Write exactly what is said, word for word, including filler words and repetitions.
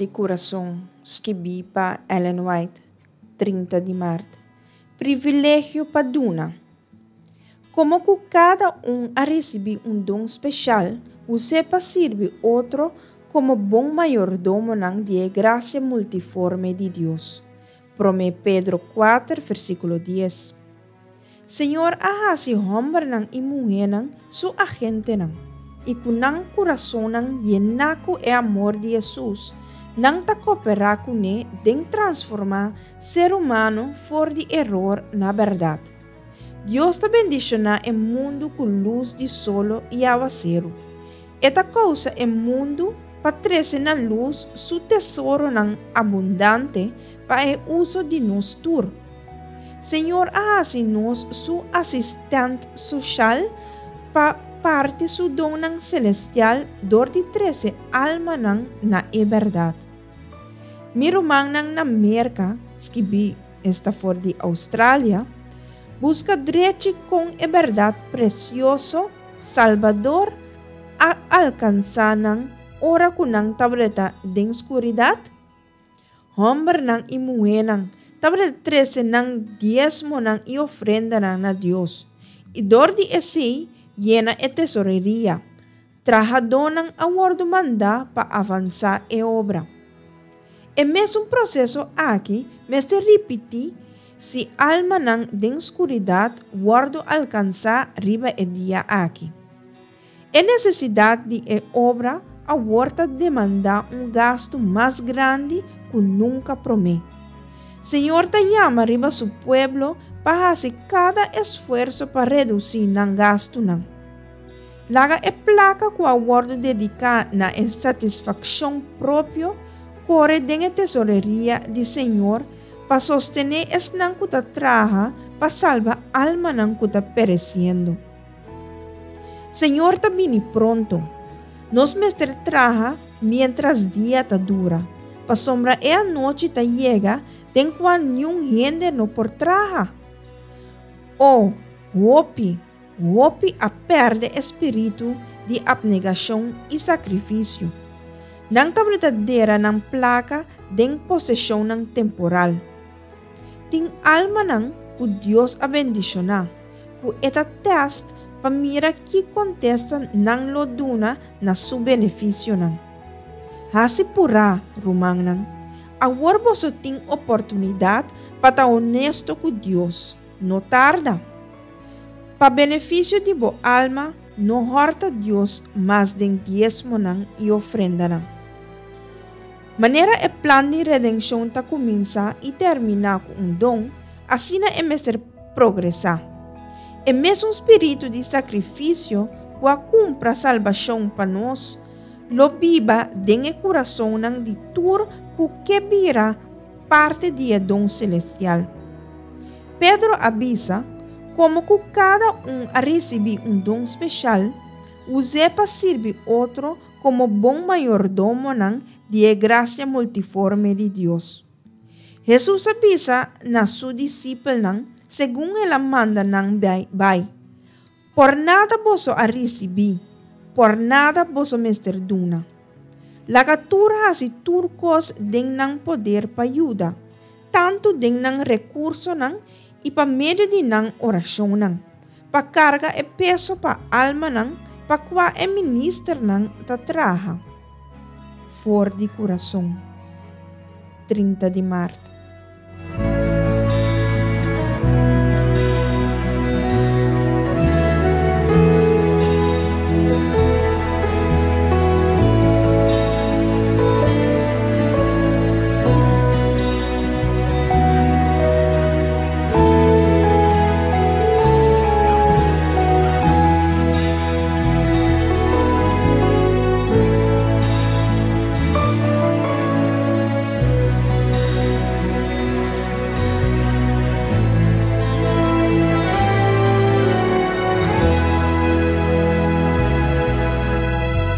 di kurason, skibí pa Ellen White, trinta di mart. Privilegio pa duna. Komo ku kada un a risibí un don spesial, us'é pa sirbi otro komo bon mayordomonan di e grasia multiforme di Dios. Promé Pedro kuater, versíkulo dies. Señor a hasi hòmbernan i muhénan su agentenan, i ku nan kurasonnan yená ku e amor di Hesus, nan ta kooperá kuné den transformá ser humano for di eror na bèrdat. Dios ta bendishoná e mundu ku lus di solo i awaseru. E ta kousa e mundu pa trese na lus su tesoronan abundante pa e uso di nos tur. Señor a hasi nos su asistènt soshal pa parti su donnan selestial dor di trese almanan na e bèrdat. Mi rumannan na Merka, skibí esta for di Australia, buska drechi kon e bèrdat presioso, salbador, a alkansá nan ora ku nan tabata den skuridat? Hòmbernan i muhénan tabata trese nan diesmonan i ofrendanan na Dios, i dor di esei yena e tesoreria. Trahadónan a wòrdu mandá pa avansá e obra. E mesun proseso aki mester ripití si almanan den skuridat wòrdu alkansá riba e dia aki. E nesesidat di e obra awor ta demandá un gastu mas grandi ku nunka promé. Señor ta yama riba su pueblo pa hasi kada esfuerso pa redusí nan gastunan. Laga e plaka ku a wòrdu dediká na e satisfakshon propio kore den e tesoreria di Señor pa sostené esnan ku ta traha pa salba almanan ku ta peresiendo. Señor ta bini pronto. Nos mester traha miéntras dia ta dura, pasobra e anochi ta yega den kua niun hende no por traha. O, hopi, hopi a pèrdè e spiritu di apnegashon i sakrifisio. Nan tabata dera nan plaka den poseshonnan temporal. Tin almanan ku Dios a bendishoná, ku e ta tèst pa mira ki kontesta nan lo duna na su benefisionan. Hasi purá, rumannan. Awor boso tin oportunidat pa ta honesto ku Dios. No tarda. Pa benefisio di bo alma, no hòrta Dios mas den diesmonan i ofrendanan. Manera e plan di redenshon ta kuminsá i terminá ku un don, asina e mester progresá. E mesun spiritu di sakrifisio ku a kumpra salbashon pa nos, lo biba den e kurasonnan di tur ku ke bira parti di e don selestial. Pedro a bisa, Komo ku kada un a risibí un don spesial, us'é pa sirbi otro komo bon mayordomonan di e grasia multiforme di Dios. Hesus a bisa na su disipelnan segun el a manda nan bai, Por nada boso a risibí, por nada boso mester duna. Laga tur hasi tur kos den nan poder pa yuda, tantu den nan rekursonan i pa medio di nan orashonnan, pa karga e peso pa almanan pa kua e ministernan ta traha. For di kurason. Trinta di mart.